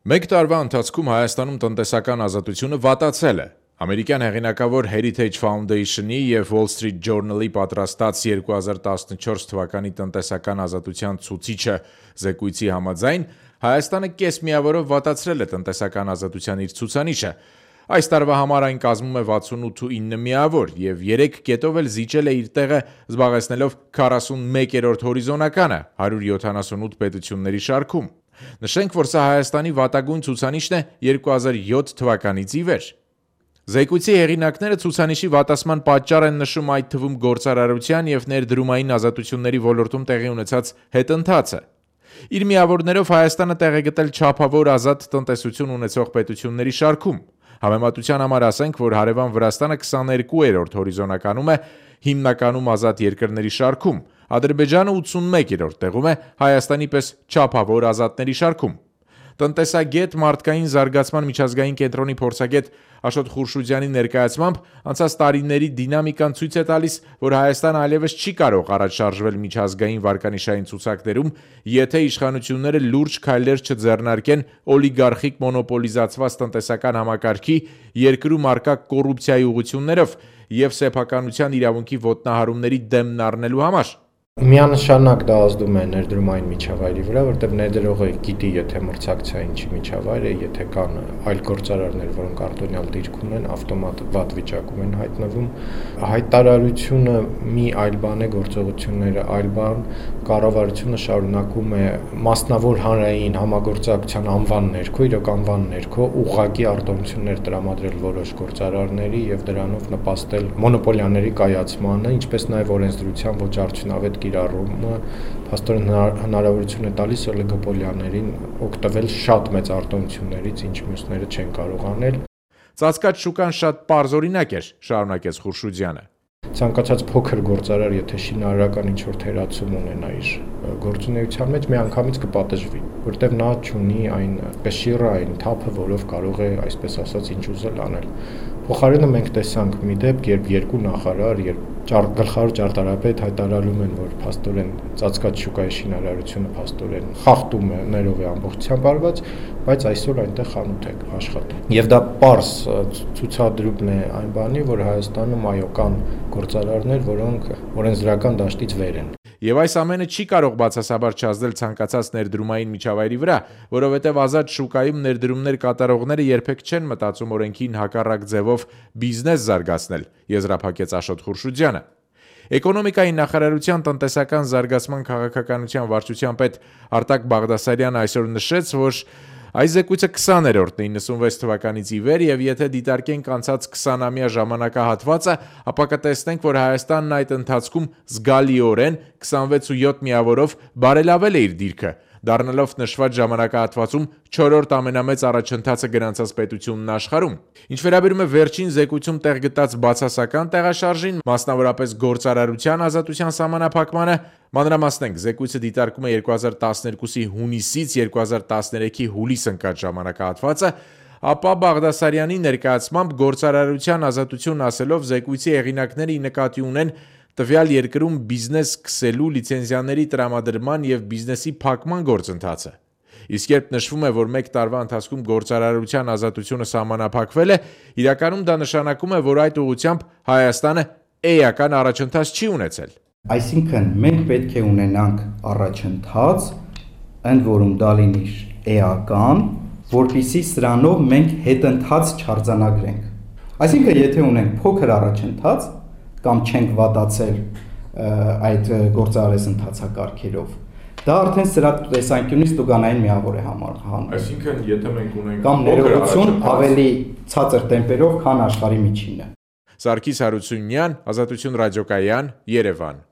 Մեկ տարվա ընթացքում Հայաստանում տնտեսական ազատությունը վատացել է։ Ամերիկյան հեղինակավոր Heritage Foundation-ի եւ Wall Street Journal-ի պատրաստած 2014 թվականի տնտեսական ազատության ցուցիչը զեկույցի համաձայն Հայաստանը կես միավորով վատացրել է տնտեսական ազատության իր ցուցանիշը։ Այս տարվա համար այն կազմում է 68.9 միավոր եւ 3 կետով էլ զիջել է իր տեղը, զբաղեցնելով 41-րդ հորիզոնականը 178 պետությունների շարքում։ Նշենք, որ սա Հայաստանի վատագույն ցուցանիշն է 2007 թվականից ի վեր։ Զեկույցի հեղինակները ցուցանիշի վատացման պատճառ են նշում այդ թվում գործարարության եւ ներդրումային ազատությունների ոլորտում տեղի ունեցած հետընթացը։ Իր միավորներով Հայաստանը տեղ է գտել չափավոր ազատ տնտեսություն ունեցող պետությունների շարքում։ Համեմատության համար ասենք, որ հարևան Վրաստանը 22-րդ հորիզոնականում է հիմնականում ազատ երկրների շարքում, Ադրբեջանը 81-րդ տեղում է Հայաստանի պես չափավոր ազատների շարքում։ Տնտեսագետ, մարդկային զարգացման միջազգային կենտրոնի փորձագետ Աշոտ Խուրշուդյանի ներկայացմամբ անցած տարիների դինամիկան ցույց է տալիս, որ Հայաստանը այլևս չի կարող առաջ շարժվել միջազգային վարկանիշային ցուցակներում, եթե իշխանությունները լուրջ քայլեր չձեռնարկեն օլիգարխիկ մոնոպոլիզացված տնտեսական համակարգի, երկրում առկա կոռուպցիայի ուղղություններով եւ սեփականության իրավունքի ոտնահարումների դեմն առնելու համար։ Միանշանակ դա ազդում է ներդրումային միջավայրի վրա, որտեղ ներդրողը գիտի, եթե մրցակցային չի միջավայր է, եթե կան այլ գործարարներ, որոնք արտոնյալ դիրք ունեն, ավտոմատ վատ վիճակում են հայտնվում։ Հայտարարությունը մի այլ բան է, գործողությունները այլ բան, կառավարությունը շարունակում է մասնավոր հանրային համագործակցության անվան ներքո, իրոք անվան ներքո ուղղակի արտոնություններ տրամադրել որոշ գործարարների եւ դրանով նպաստել մոնոպոլիաների կայացմանը, ինչպես նաեւ օրենսդրության ոչ արդյունավետ կիրառումը փաստորեն հնարավորություն է տալիս օլիգոպոլիաներին օգտվել շատ մեծ արտոնություններից, ինչ մյուսները չեն կարող անել։ Ծածկած շուկան շատ պարզ օրինակ էր, շարունակեց Խուրշուդյանը։ Ցանկացած փոքր գործարար, եթե շինարարական ինչ-որ թերացում ունենա իր գործունեության մեջ, միանգամից կպատժվի, որտեղ նա չունի այն կշիռը, այն թափը, որով կարող է, այսպես ասած, ինչ ուզել անել։ Փոխարենը մենք տեսանք մի դեպք, երբ երկու նախարար, գլխավոր ճարտարապետ հայտարարում են, որ փաստորեն ծածկած շուկայի շինարարությունը փաստորեն խախտում է ներող է ամբողջությամբ արված, բայց այսօր այնտեղ խանութ է աշխատում։ Եվ դա պարզ ցուցադրումն է այն բանի, որ Հայաստանում այո կան գործարարներ, որոնք օրենսդրական դաշտից վեր են։ Եվ այս ամենը չի կարող բացասաբար չազդել ցանկացած ներդրումային միջավայրի վրա, որովհետև ազատ շուկայում ներդրումներ կատարողները երբեք չեն մտածում օրենքին հակառակ ձևով բիզնես զարգացնել, եզրափակեց Աշոտ Խուրշուդյանը։ Էկոնոմիկայի նախարարության տնտեսական զարգացման քաղաքականության վարչության պետ Արտակ Բաղդասարյանը այսօր նշեց, որ այս զեկույցը 20-րդն է 96 թվականից ի վեր եւ եթե դիտարկենք անցած 20-ամյա ժամանակահատվածը, ապա կտեսնենք, որ Հայաստանն այդ ընթացքում զգալիորեն 26.7 միավորով բարելավել է իր դիրքը, դառնալով նշված ժամանակահատվածում 4-րդ ամենամեծ առաջընթացը գրանցած պետությունն աշխարհում։ Ինչ վերաբերում է վերջին զեկույցում տեղ գտած բացասական տեղաշարժին, մասնավորապես գործարարության ազատության սահմանափակմանը, մանրամասնենք, զեկույցը դիտարկում է 2012-ի հունիսից 2013-ի հուլիս ընկած ժամանակահատվածը, ապա Բաղդասարյանի ներկայացմամբ գործարարության ազատություն ասելով զեկույցի հեղինակները նկատի ունեն տվյալ երկրում բիզնես սկսելու լիցենզիաների տրամադրման եւ բիզնեսի փակման գործընթացը։ Իսկ երբ նշվում է, որ մեկ տարվա ընթացքում գործարարության ազատությունը սահմանափակվել է, իրականում դա նշանակում է, որ այդ ուղղությամբ Հայաստանը էական առաջընթաց չի ունեցել։ Այսինքն մենք պետք է ունենանք առաջընթաց, ընդ որում դա լինի էական, որպեսզի սրանով մենք հետընթաց չարձանագրենք։ Այսինքն եթե ունենք փոքր առաջընթաց կամ չենք վատացել այդ գործարարես ընթացակարգերով, դա արդեն սրա տեսանկյունից տուգանային միավոր է համարվում։ Այսինքն եթե մենք ունենք կամ ներողություն ավելի ցածր տեմպերով, քան աշխարհի միջինը։ Սարգիս Հարությունյան, Ազատություն ռադիոկայան, Երևան։